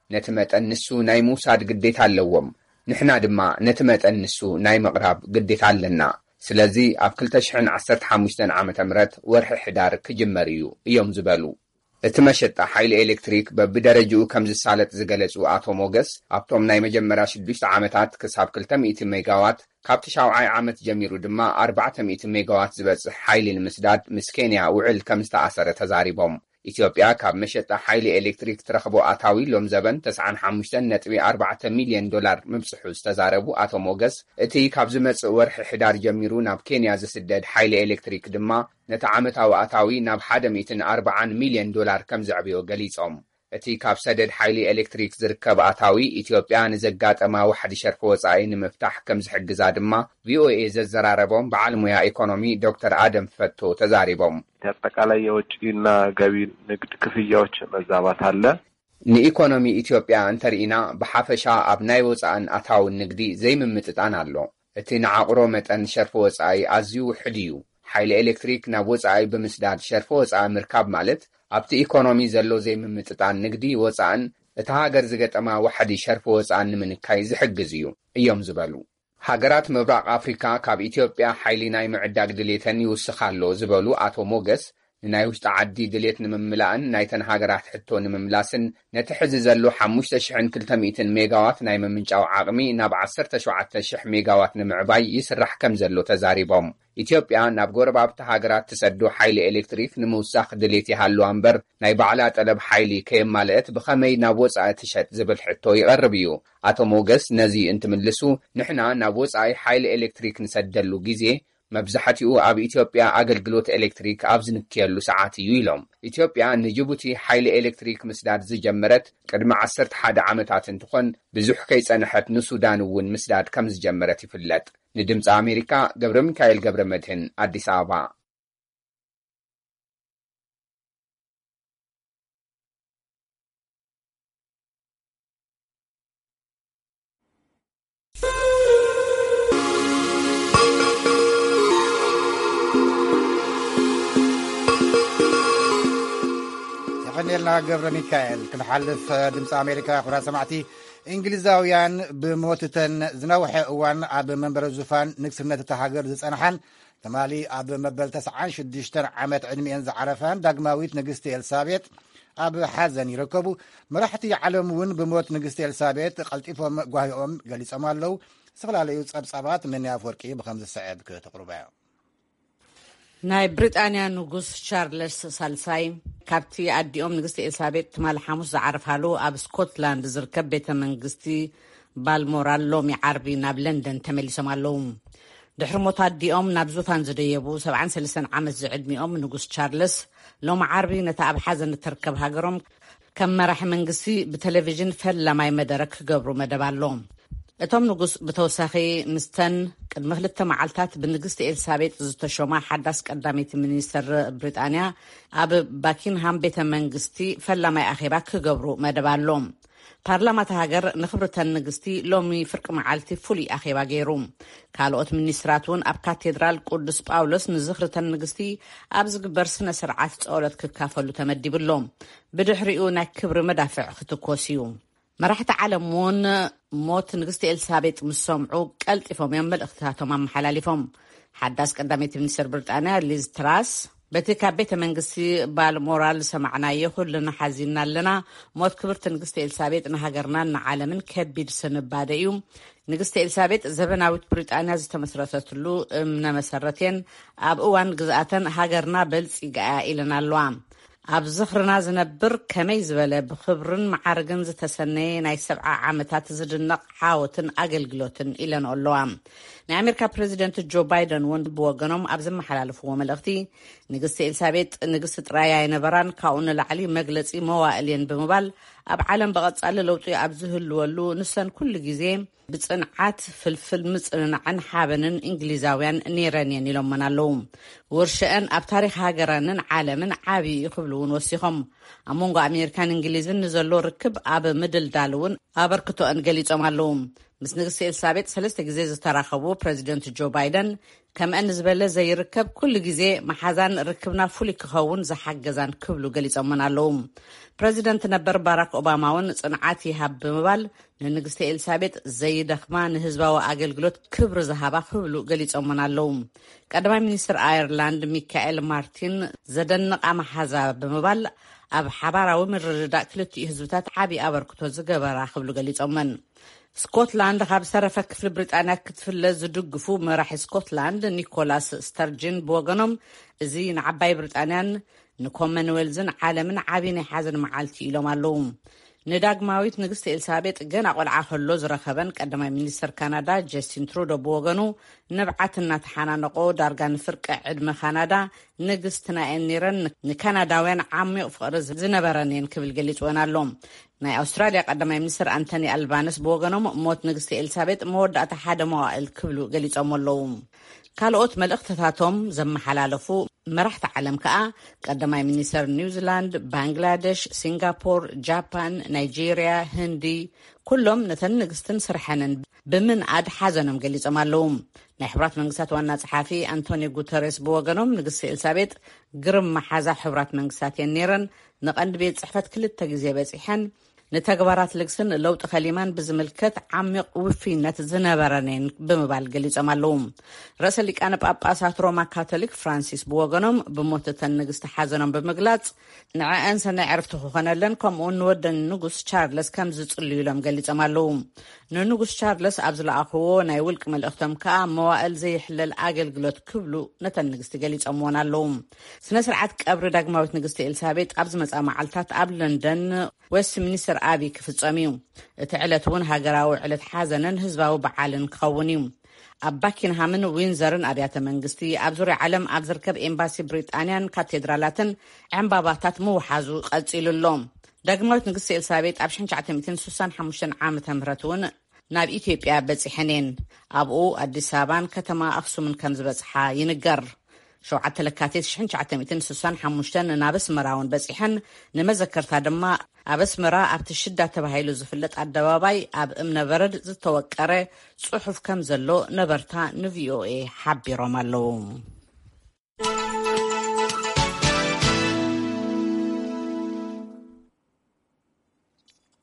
ነቲ መጠን ንሱ ናይ ምውሳድ ግዴታ ኣለዎም። ንሕና ድማ ነቲ መጠን ንሱ ናይ ምቕራብ ግዴታ ኣለና። ስለዚ ኣብ ክልተ ሽሕን ዓሰርተ ሓሙሽተን ዓመተ ምህረት ወርሒ ሕዳር ክጅመር እዩ እዮም ዝበሉ። እቲ መሸጣ ሓይሊ ኤሌክትሪክ በብደረጅኡ ከም ዝሳለጥ ዝገለጹ ኣቶ ሞገስ፣ ኣብቶም ናይ መጀመርያ ሽዱሽተ ዓመታት ክሳብ ክልተ ሚእቲ ሜጋዋት፣ ካብቲ ሻውዓይ ዓመት ጀሚሩ ድማ ኣርባዕተ ሚእቲ ሜጋዋት ዝበጽሕ ሓይሊ ንምስዳድ ምስ ኬንያ ውዕል ከም ዝተኣሰረ ተዛሪቦም። ኢትዮጵያ ካብ መሸጣ ሓይሊ ኤሌክትሪክ ትረኽቦ ኣታዊ ሎም ዘበን ተስዓን ሓሙሽተን ነጥቢ ኣርባዕተ ሚልዮን ዶላር ምብጽሑ ዝተዛረቡ ኣቶ ሞገስ፣ እቲ ካብ ዝመጽእ ወርሒ ሕዳር ጀሚሩ ናብ ኬንያ ዝስደድ ሓይሊ ኤሌክትሪክ ድማ ነቲ ዓመታዊ ኣታዊ ናብ ሓደ ሚእትን ኣርባዓን ሚልዮን ዶላር ከም ዘዕብዮ ገሊጾም። እቲ ካብ ሰደድ ሓይሊ ኤሌክትሪክ ዝርከብ ኣታዊ ኢትዮጵያ ንዘጋጠማ ዋሕዲ ሸርፊ ወጻኢ ንምፍታሕ ከም ዝሕግዛ ድማ ቪኦኤ ዘዘራረቦም በዓል ሙያ ኢኮኖሚ ዶክተር ኣደም ፈቶ ተዛሪቦም። የአጠቃላይ የወጪና ገቢ ንግድ ክፍያዎች መዛባት አለ። ንኢኮኖሚ ኢትዮጵያ እንተርኢና ብሓፈሻ ኣብ ናይ ወጻእን ኣታውን ንግዲ ዘይምምጥጣን ኣሎ። እቲ ንዓቕሮ መጠን ሸርፊ ወጻኢ ኣዝዩ ውሕድ እዩ። ሓይሊ ኤሌክትሪክ ናብ ወጻኢ ብምስዳድ ሸርፊ ወጻኢ ምርካብ ማለት ኣብቲ ኢኮኖሚ ዘሎ ዘይምምጥጣን ንግዲ ወጻእን እታ ሃገር ዝገጠማ ዋሕዲ ሸርፊ ወጻእን ንምንካይ ዝሕግዝ እዩ እዮም ዝበሉ። ሃገራት ምብራቕ ኣፍሪካ ካብ ኢትዮጵያ ሓይሊ ናይ ምዕዳግ ድሌተን ይውስኽ ኣሎ ዝበሉ ኣቶ ሞገስ፣ ንናይ ውሽጢ ዓዲ ድሌት ንምምላእን ናይተን ሃገራት ሕቶ ንምምላስን ነቲ ሕዚ ዘሎ ሓሙሽተ ሽሕን ክልተ ሚእትን ሜጋዋት ናይ ምምንጫው ዓቕሚ ናብ ዓሰርተ ሸውዓተ ሽሕ ሜጋዋት ንምዕባይ ይስራሕ ከም ዘሎ ተዛሪቦም። ኢትዮጵያ ናብ ጎረባብቲ ሃገራት ትሰዶ ሓይሊ ኤሌክትሪክ ንምውሳኽ ድሌት ይሃልዋ እምበር ናይ ባዕላ ጠለብ ሓይሊ ከየማልአት ብኸመይ ናብ ወጻኢ ትሸጥ ዝብል ሕቶ ይቐርብ እዩ። ኣቶ ሞገስ ነዚ እንትምልሱ፣ ንሕና ናብ ወጻኢ ሓይሊ ኤሌክትሪክ ንሰደሉ ግዜ መብዛሕትኡ ኣብ ኢትዮጵያ ኣገልግሎት ኤሌክትሪክ ኣብ ዝንክየሉ ሰዓት እዩ ኢሎም። ኢትዮጵያ ንጅቡቲ ሓይሊ ኤሌክትሪክ ምስዳድ ዝጀመረት ቅድሚ ዓሰርተ ሓደ ዓመታት እንትኾን፣ ብዙሕ ከይጸንሐት ንሱዳን እውን ምስዳድ ከም ዝጀመረት ይፍለጥ። ንድምፂ ኣሜሪካ ገብረ ሚካኤል ገብረ መድህን ኣዲስ ኣበባ። የቐኔልና ገብረ ሚካኤል። ክንሓልፍ ድምፂ ኣሜሪካ ኩራ ሰማዕቲ፣ እንግሊዛውያን ብሞትተን ዝነውሐ እዋን ኣብ መንበረ ዙፋን ንግስነት እታ ሃገር ዝጸንሓን ትማሊ ኣብ መበል ተስዓን ሽዱሽተን ዓመት ዕድሚኤን ዝዓረፋን ዳግማዊት ንግስቲ ኤልሳቤጥ ኣብ ሓዘን ይርከቡ። መራሕቲ ዓለም እውን ብሞት ንግስቲ ኤልሳቤጥ ቀልጢፎም ጓሂኦም ገሊጾም ኣለዉ። ዝተፈላለዩ ጸብጻባት መኒ ኣፍወርቂ ብኸም ዝስዕብ ክተቕርቦ እያ። ናይ ብሪጣንያ ንጉስ ቻርለስ ሳልሳይ ካብቲ ኣዲኦም ንግስቲ ኤልሳቤጥ ትማሊ ሓሙስ ዝዓርፋሉ ኣብ ስኮትላንድ ዝርከብ ቤተ መንግስቲ ባልሞራል ሎሚ ዓርቢ ናብ ለንደን ተመሊሶም ኣለዉ። ድሕሪ ሞት ኣዲኦም ናብ ዙፋን ዝደየቡ ሰብዓን ሰለስተን ዓመት ዝዕድሚኦም ንጉስ ቻርለስ ሎሚ ዓርቢ ነታ ኣብ ሓዘን እትርከብ ሃገሮም ከም መራሒ መንግስቲ ብቴሌቪዥን ፈላማይ መደረ ክገብሩ መደብ ኣሎ። እቶም ንጉስ ብተወሳኺ ምስተን ቅድሚ ክልተ መዓልታት ብንግስቲ ኤልሳቤጥ ዝተሾማ ሓዳስ ቀዳመይቲ ሚኒስተር ብሪጣንያ ኣብ ባኪንሃም ቤተ መንግስቲ ፈላማይ ኣኼባ ክገብሩ መደብ ኣሎ። ፓርላማ እታ ሃገር ንክብርተን ንግስቲ ሎሚ ፍርቂ መዓልቲ ፍሉይ ኣኼባ ገይሩ። ካልኦት ሚኒስትራት እውን ኣብ ካቴድራል ቅዱስ ጳውሎስ ንዝኽርተን ንግስቲ ኣብ ዝግበር ስነ ስርዓት ጸሎት ክካፈሉ ተመዲቡ ኣሎ። ብድሕሪኡ ናይ ክብሪ መዳፍዕ ክትኮስ እዩ። መራሕቲ ዓለም እውን ሞት ንግስቲ ኤልሳቤጥ ምስ ሰምዑ ቀልጢፎም እዮም መልእኽትታቶም ኣመሓላሊፎም። ሓዳስ ቀዳመይቲ ሚኒስትር ብሪጣንያ ሊዝ ትራስ፣ በቲ ካብ ቤተ መንግስቲ ባልሞራል ዝሰማዕናዮ ኩልና ሓዚንና ኣለና። ሞት ክብርቲ ንግስቲ ኤልሳቤጥ ንሃገርናን ንዓለምን ከቢድ ስንባደ እዩ። ንግስቲ ኤልሳቤጥ ዘበናዊት ብሪጣንያ ዝተመስረተትሉ እምነ መሰረት እየን። ኣብ እዋን ግዝኣተን ሃገርና በልጺጋ እያ ኢለን ኣለዋ። ኣብ ዝኽርና ዝነብር ከመይ ዝበለ ብኽብርን መዓርግን ዝተሰነየ ናይ ሰብዓ ዓመታት ዝድነቕ ዓወትን ኣገልግሎትን ኢለን ኣለዋ። ናይ ኣሜሪካ ፕሬዚደንት ጆ ባይደን እውን ብወገኖም ኣብ ዘመሓላለፍዎ መልእኽቲ፣ ንግስቲ ኤልሳቤጥ ንግስቲ ጥራይ ኣይነበራን፣ ካብኡ ንላዕሊ መግለጺ መዋእል እየን ብምባል፣ ኣብ ዓለም ብቐጻሊ ለውጢ ኣብ ዝህልወሉ ንሰን ኩሉ ግዜ ብጽንዓት ፍልፍል ምጽንናዕን ሓበንን እንግሊዛውያን ነይረን እየን ኢሎመን ኣለዉ። ውርሸአን ኣብ ታሪኽ ሃገረንን ዓለምን ዓቢ እዩ ክብሉ እውን ወሲኾም፣ ኣብ መንጎ ኣሜሪካን እንግሊዝን ንዘሎ ርክብ ኣብ ምድልዳል እውን ኣበርክቶአን ገሊጾም ኣለዉ። ምስ ንግስቲ ኤልሳቤጥ ሰለስተ ግዜ ዝተራኸቡ ፕሬዚደንት ጆ ባይደን፣ ከምአን ዝበለ ዘይርከብ ኩሉ ግዜ መሓዛን ርክብና ፍሉይ ክኸውን ዝሓገዛን ክብሉ ገሊጾመን ኣለዉ። ፕሬዚደንት ነበር ባራክ ኦባማ እውን ጽንዓት ይሃብ ብምባል፣ ንንግስቲ ኤልሳቤጥ ዘይደኽማ ንህዝባዊ ኣገልግሎት ክብሪ ዝሃባ ክብሉ ገሊጾመን ኣለዉ። ቀዳማይ ሚኒስትር ኣየርላንድ ሚካኤል ማርቲን ዘደንቓ መሓዛ ብምባል፣ ኣብ ሓባራዊ ምርድዳእ ክልቲኡ ህዝብታት ዓቢ ኣበርክቶ ዝገበራ ክብሉ ገሊጾመን። ስኮትላንድ ካብ ዝተረፈ ክፍሊ ብሪጣንያ ክትፍለ ዝድግፉ መራሒ ስኮትላንድ ኒኮላስ ስተርጅን ብወገኖም፣ እዚ ንዓባይ ብሪጣንያን ንኮመንዌልዝን ዓለምን ዓቢ ናይ ሓዘን መዓልቲ ኢሎም ኣለዉ። ንዳግማዊት ንግስቲ ኤልሳቤጥ ገና ቆልዓ ከሎ ዝረኸበን ቀዳማይ ሚኒስተር ካናዳ ጀስቲን ትሩዶ ብወገኑ፣ ንብዓት እናተሓናነቆ ዳርጋ ንፍርቂ ዕድመ ካናዳ ንግስትና እየን ነይረን፣ ንካናዳውያን ዓሚቕ ፍቕሪ ዝነበረን እየን ክብል ገሊጽወን ኣሎ። ናይ ኣውስትራልያ ቀዳማይ ሚኒስትር ኣንቶኒ ኣልባነስ ብወገኖም፣ ሞት ንግስቲ ኤልሳቤጥ መወዳእታ ሓደ መዋእል ክብሉ ገሊጾም ኣለዉ። ካልኦት መልእኽትታቶም ዘመሓላለፉ መራሕቲ ዓለም ከኣ፣ ቀዳማይ ሚኒስተር ኒውዚላንድ፣ ባንግላደሽ፣ ሲንጋፖር፣ ጃፓን፣ ናይጄርያ፣ ህንዲ፣ ኩሎም ነተን ንግስትን ስርሐንን ብምንኣድ ሓዘኖም ገሊጾም ኣለዉ። ናይ ሕቡራት መንግስታት ዋና ጸሓፊ ኣንቶኒ ጉተሬስ ብወገኖም፣ ንግስቲ ኤልሳቤጥ ግርም መሓዛ ሕቡራት መንግስታት እየን ነይረን፣ ንቐንዲ ቤት ጽሕፈት ክልተ ግዜ በጺሐን፣ ንተግባራት ልግስን ለውጢ ከሊማን ብዝምልከት ዓሚቕ ውፍይነት ዝነበረን እየን ብምባል ገሊጾም ኣለዉ። ርእሰ ሊቃነ ጳጳሳት ሮማ ካቶሊክ ፍራንሲስ ብወገኖም፣ ብሞት እተን ንግስቲ ሓዘኖም ብምግላጽ፣ ንዐአን ሰናይ ዕረፍቲ ክኾነለን፣ ከምኡውን ንወደን ንጉስ ቻርለስ ከም ዝጽልዩሎም ገሊጾም ኣለዉ። ንንጉስ ቻርለስ ኣብ ዝለኣኽዎ ናይ ውልቂ መልእኽቶም ከኣ፣ መዋእል ዘይሕለል ኣገልግሎት ክብሉ ነተን ንግስቲ ገሊጾምዎን ኣለዉ። ስነ ስርዓት ቀብሪ ዳግማዊት ንግስቲ ኤልሳቤጥ ኣብ ዝመጽኣ መዓልታት ኣብ ለንደን ዌስትሚኒስተር ኣቢ ክፍጸም እዩ። እቲ ዕለት እውን ሃገራዊ ዕለት ሓዘንን ህዝባዊ በዓልን ክኸውን እዩ። ኣብ ባኪንሃምን ዊንዘርን ኣብያተ መንግስቲ፣ ኣብ ዙርያ ዓለም ኣብ ዝርከብ ኤምባሲ ብሪጣንያን ካቴድራላትን ዕምባባታት ምውሓዙ ቀጺሉ ኣሎ። ዳግማዊት ንግስቲ ኤልሳቤጥ ኣብ ሽሕን ትሽዓተ ሚእትን ስሳን ሓሙሽተን ዓመተ ምህረት እውን ናብ ኢትዮጵያ በጺሐን እየን። ኣብኡ ኣዲስ ኣበባን ከተማ ኣኽሱምን ከም ዝበጽሓ ይንገር። ሸውዓተ ለካቲት ሽሕን ትሽዓተ ሚእትን ስሳን ሓሙሽተን ናብ ኣስመራ እውን በጺሐን፣ ንመዘከርታ ድማ ኣብ ኣስመራ ኣብቲ ሽዳ ተባሂሉ ዝፍለጥ ኣደባባይ ኣብ እምነበረድ ዝተወቀረ ጽሑፍ ከም ዘሎ ነበርታ ንቪኦኤ ሓቢሮም ኣለዉ።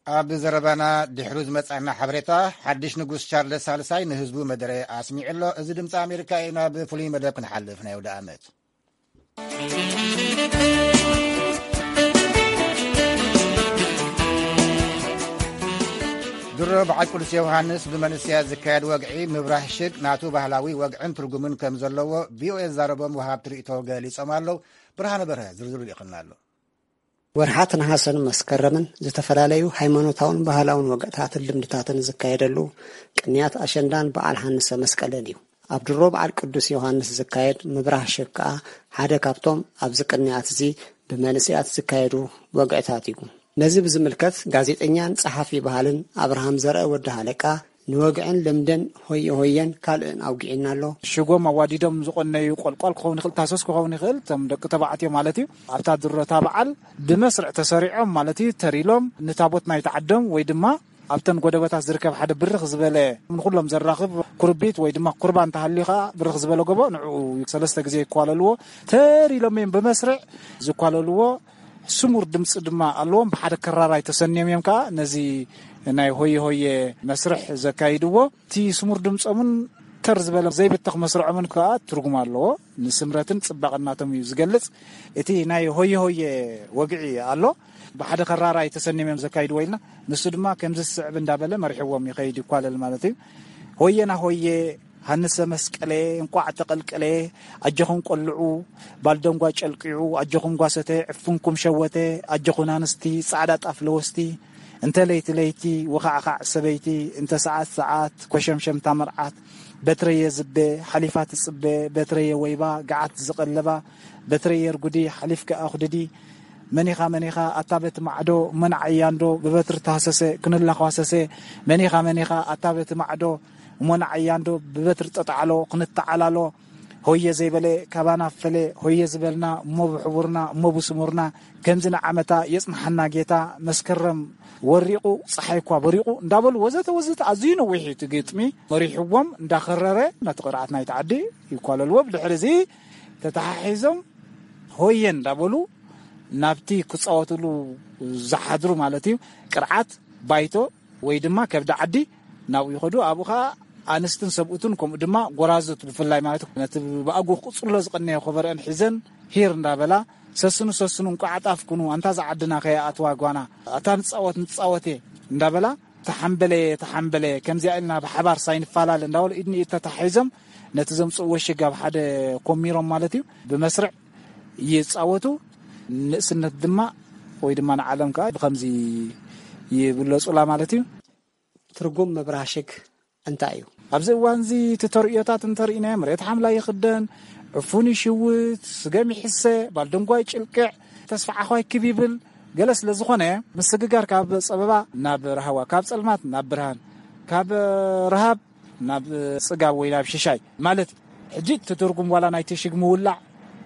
ኣብ ዘረባና ድሕሩ ዝመጻና ሓበሬታ፣ ሓድሽ ንጉስ ቻርለስ ሳልሳይ ንህዝቡ መደረ ኣስሚዑ ኣሎ። እዚ ድምፂ ኣሜሪካ እዩ። ናብ ፍሉይ መደብ ክንሓልፍ፣ ናይ ወደ ዓመት ድሮ በዓል ቅዱስ ዮሃንስ ብመንእሰያት ዝካየድ ወግዒ ምብራህ ሽግ ናቱ ባህላዊ ወግዕን ትርጉምን ከም ዘለዎ ቪኦኤ ዝዛረቦም ወሃብቲ ርእይቶ ገሊጾም ኣለዉ። ብርሃነ በርሀ ዝርዝሩ ልኢኹልና ኣሎ። ወርሓት ነሃሰን መስከረምን ዝተፈላለዩ ሃይማኖታውን ባህላውን ወግዕታትን ልምድታትን ዝካየደሉ ቅንያት ኣሸንዳን በዓል ሃንሰ መስቀልን እዩ። ኣብ ድሮ በዓል ቅዱስ ዮሃንስ ዝካየድ ምብራህ ሽግ ከኣ ሓደ ካብቶም ኣብዚ ቅንያት እዚ ብመንእሰያት ዝካየዱ ወግዕታት እዩ። ነዚ ብዝምልከት ጋዜጠኛን ጸሓፊ ባህልን ኣብርሃም ዘርአ ወዲ ሃለቃ ንወግዕን ልምድን ሆየ ሆየን ካልእን ኣውጊዕና ኣሎ። ሽጎም ኣዋዲዶም ዝቆነዩ ቆልቋል ክኸውን ይኽእል፣ ታሶስ ክኸውን ይኽእል፣ እቶም ደቂ ተባዕትዮ ማለት እዩ። ኣብታ ድሮታ በዓል ብመስርዕ ተሰሪዖም ማለት እዩ፣ ተሪሎም ንታቦት ናይቲ ዓዶም ወይ ድማ ኣብተን ጎደበታት ዝርከብ ሓደ ብርኽ ዝበለ ንኹሎም ዘራኽብ ኩርቢት ወይ ድማ ኩርባ እንተሃልዩ ኸዓ ብርኽ ዝበለ ጎቦ ንዕኡ ሰለስተ ግዜ ይኳለልዎ። ተሪሎም እዮም ብመስርዕ ዝኳለልዎ። ስሙር ድምፂ ድማ ኣለዎም። ብሓደ ከራራይ ተሰንዮም እዮም ከዓ ነዚ ናይ ሆየ ሆየ መስርሕ ዘካይድዎ። እቲ ስሙር ድምፆምን ተር ዝበለ ዘይብተኽ መስርዖምን ከዓ ትርጉም ኣለዎ። ንስምረትን ፅባቐን ናቶም እዩ ዝገልፅ። እቲ ናይ ሆየ ሆየ ወግዒ ኣሎ። ብሓደ ከራራይ ተሰንዮም እዮም ዘካይድዎ ኢልና። ንሱ ድማ ከምዚ ዝስዕብ እንዳበለ መሪሕዎም ይኸይድ፣ ይኳለል ማለት እዩ። ሆየና ሆየ፣ ሃንሰ መስቀሌ፣ እንቋዕ ተቐልቀሌ፣ ኣጆኹም ቆልዑ፣ ባልደንጓ ጨልቂዑ፣ ኣጆኹም ጓሰተ፣ ዕፉንኩም ሸወተ፣ ኣጆኹን ኣንስቲ፣ ጻዕዳ ጣፍ ለወስቲ፣ እንተ ለይቲ ለይቲ፣ ውኻዕኻዕ ሰበይቲ፣ እንተ ሰዓት ሰዓት፣ ኮሸምሸምታ መርዓት፣ በትረየ ዝቤ፣ ሓሊፋ ትጽበ፣ በትረየ ወይባ፣ ገዓት ዝቐለባ፣ በትረየ ርጉዲ፣ ሓሊፍኪ ኣኹድዲ፣ መኒኻ መኒኻ ኣታ በቲ ማዕዶ፣ እሞ ንዓያ እንዶ ብበትሪ ተሃሰሰ፣ ክንላኳሰሰ፣ መኒኻ መኒኻ ኣታ በቲ ማዕዶ፣ እሞ ንዓያ እንዶ ብበትሪ ጠጣዕሎ፣ ክንተዓላሎ፣ ሆየ ዘይበለ ካባና ፈለ፣ ሆየ ዝበልና እሞ ብሕቡርና፣ እሞ ብስሙርና፣ ከምዚ ንዓመታ የጽንሓና ጌታ፣ መስከረም ወሪቑ፣ ጸሓይ እኳ በሪቑ እንዳበሉ ወዘተ ወዘተ ኣዝዩ ነዊሕ እዩ እቲ ግጥሚ። መሪሕዎም እንዳኸረረ ነቲ ቅርዓት ናይቲ ዓዲ ይኳለልዎ። ብድሕሪ እዚ ተተሓሒዞም ሆየ እንዳበሉ ናብቲ ክጻወትሉ ዝሓድሩ ማለት እዩ ቅርዓት ባይቶ ወይ ድማ ከብዲ ዓዲ ናብኡ ይኸዱ። ኣብኡ ኸዓ ኣንስትን ሰብኡትን ከምኡ ድማ ጎራዙት ብፍላይ ማለት እዩ ነቲ ብኣጉ ክቕጽሎ ዝቐነየ ኮበረአን ሒዘን ሂር እንዳበላ ሰስኑ ሰስኑ እንቋዕ ኣጣፍኩኑ ኣንታ ዝዓድና ከይኣትዋ ጓና ኣታ ንጻወት ንጻወት እየ እንዳበላ ተሓምበለ ተሓምበለ ከምዚኣ ኢልና ብሓባር ሳይንፈላለ እንዳበሉ ኢድ ንኢድ ተታሒዞም ነቲ ዘምጽእዎ ሽግ ኣብ ሓደ ኮሚሮም ማለት እዩ ብመስርዕ ይጻወቱ። ንእስነት ድማ ወይ ድማ ንዓለም ከዓ ብኸምዚ ይብለጹላ ማለት እዩ። ትርጉም ምብራህ ሽግ እንታይ እዩ? ኣብዚ እዋን እዚ እቲ ተርእዮታት እንተርኢናዮ መሬት ሓምላይ ይኽደን፣ ዕፉን ይሽውት፣ ስገም ይሕሰ፣ ባልደንጓይ ጭልቅዕ፣ ተስፋ ዓዃይ ክብ ይብል። ገለ ስለ ዝኾነ ምስግጋር ካብ ጸበባ ናብ ራህዋ፣ ካብ ጸልማት ናብ ብርሃን፣ ካብ ረሃብ ናብ ጽጋብ ወይ ናብ ሽሻይ ማለት እዩ። ሕጂ እቲ ትርጉም ዋላ ናይቲ ሽግ ምውላዕ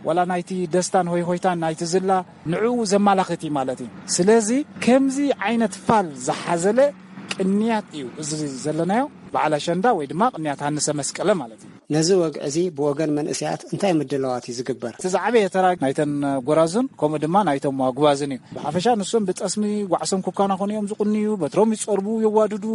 ዋላ ናይቲ ደስታን ሆይ ሆይታን ናይቲ ዝላ ንዕኡ ዘማላኽት እዩ ማለት እዩ። ስለዚ ከምዚ ዓይነት ፋል ዝሓዘለ ቅንያት እዩ እዚ ዘለናዮ በዓል ኣሸንዳ ወይ ድማ ቅንያት ሃንሰ መስቀለ ማለት እዩ። ነዚ ወግዒ እዚ ብወገን መንእሰያት እንታይ ምድላዋት እዩ ዝግበር? እቲ ዝዓበየ ተራ ናይተን ጎራዙን ከምኡ ድማ ናይቶም ኣጉባዝን እዩ። ብሓፈሻ ንሶም ብጠስሚ ጓዕሶም ክከናኸኑ እዮም ዝቕንዩ፣ በትሮም ይጸርቡ፣ የዋድዱ፣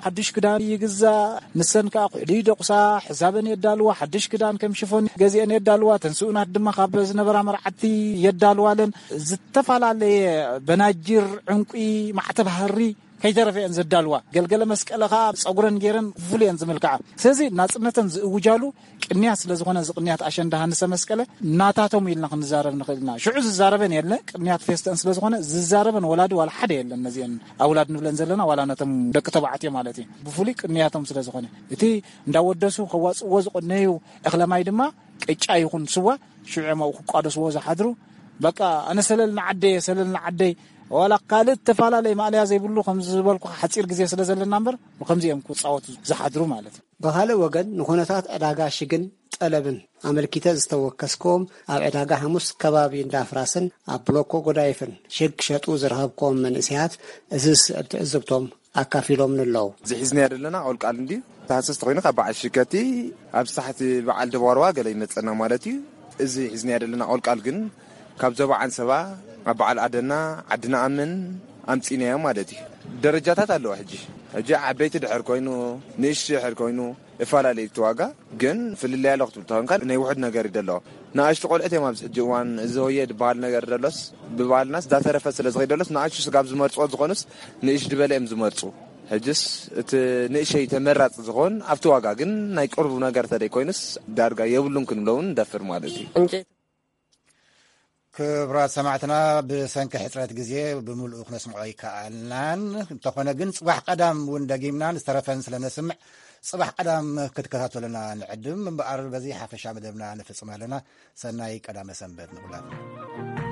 ሓድሽ ክዳን ይግዛእ፣ ንሰን ከኣ ኩሕሊ ይደቑሳ፣ ሕዛበን የዳልዋ፣ ሓድሽ ክዳን ከም ሽፎን ገዚአን የዳልዋ፣ ተን ስኡናት ድማ ካብ ዝነበራ መርዓቲ የዳልዋለን። ዝተፈላለየ በናጅር፣ ዕንቁ፣ ማዕተብ ሃሪ ከይተረፈ እየን ዘዳልዋ። ገልገለ መስቀለ ከኣ ጸጉረን ገይረን ፍሉይ እየን ዝምልክዓ። ስለዚ ናጽነተን ዝእውጃሉ ቅንያት ስለ ዝኾነ እዚ ቅንያት ኣሸንዳ ሃንሰ መስቀለ ናታቶም ኢልና ክንዛረብ ንኽእል ኢና። ሽዑ ዝዛረበን የለ ቅንያት ፌስተን ስለ ዝኾነ ዝዛረበን ወላዲ ዋላ ሓደ የለን። ነዚአን ኣውላድ ንብለን ዘለና ዋላ ነቶም ደቂ ተባዕትዮ ማለት እዩ። ብፍሉይ ቅንያቶም ስለ ዝኾነ እቲ እንዳወደሱ ከዋጽእዎ ዝቐነዩ እኽለ ማይ ድማ ቅጫ ይኹን ስዋ ሽዑ እዮም ኣብኡ ክቋደስዎ ዝሓድሩ። በቃ ኣነ ሰለል ንዓደየ ሰለል ንዓደይ ዋላ ካልእ ተፈላለየ ማእለያ ዘይብሉ ከም ዝበልኩ ሓጺር ግዜ ስለ ዘለና እምበር ብከምዚ እዮም ክጻወቱ ዝሓድሩ ማለት እዩ። ብኻልእ ወገን ንኹነታት ዕዳጋ ሽግን ጠለብን ኣመልኪተ ዝተወከስክዎም ኣብ ዕዳጋ ሓሙስ ከባቢ እንዳፍራስን ኣብ ብሎኮ ጎዳይፍን ሽግ ክሸጡ ዝረኸብክዎም መንእሰያት እዚ ዝስዕብ ትዕዝብቶም ኣካፊሎምኒ ኣለዉ። እዚ ሒዝናዮ ዘለና ቆልቃል እንድዩ። ተሃሰስ ተኾይኑ ካብ በዓል ሽከቲ ኣብ ሳሕቲ በዓል ደባርዋ ገለ ይመጸና ማለት እዩ። እዚ ሒዝናዮ ዘለና ቆልቃል ግን ካብ ዞባ ዓንሰባ ኣብ በዓል ኣደና ዓዲ ንኣምን ኣምጺናዮ ማለት እዩ። ደረጃታት ኣለዎ። ሕጂ ሕጂ ዓበይቲ ድሕር ኮይኑ ንእሽቲ ድሕር ኮይኑ እፈላለዩ እቲ ዋጋ ግን ፍልልይ ኣሎ ክትብል ተኾንካ ናይ ውሑድ ነገር እዩ ደሎ። ንኣሽቱ ቆልዑት እዮም ኣብዚ ሕጂ እዋን እዚ ሆየ ዝበሃል ነገር ደሎስ ብባህልናስ እንዳተረፈ ስለ ዝኸይድ ደሎስ ንኣሽቱ ስጋብ ዝመርጽዎ ዝኾኑስ ንእሽ ዝበለ እዮም ዝመርጹ። ሕጅስ እቲ ንእሸይ ተመራፂ ዝኾን ኣብቲ ዋጋ ግን ናይ ቅርቡ ነገር ተደይ ኮይኑስ ዳርጋ የብሉን ክንብሎ እውን ንደፍር ማለት እዩ። ክብራት ሰማዕትና፣ ብሰንኪ ሕፅረት ግዜ ብምልኡ ክነስምዖ ኣይከኣልናን። እንተኾነ ግን ፅባሕ ቀዳም እውን ደጊምና ዝተረፈን ስለ ነስምዕ፣ ፅባሕ ቀዳም ክትከታተሉና ንዕድም። እምበኣር በዚ ሓፈሻ መደብና ንፍፅም ኣለና። ሰናይ ቀዳመ ሰንበት ንኹላትና።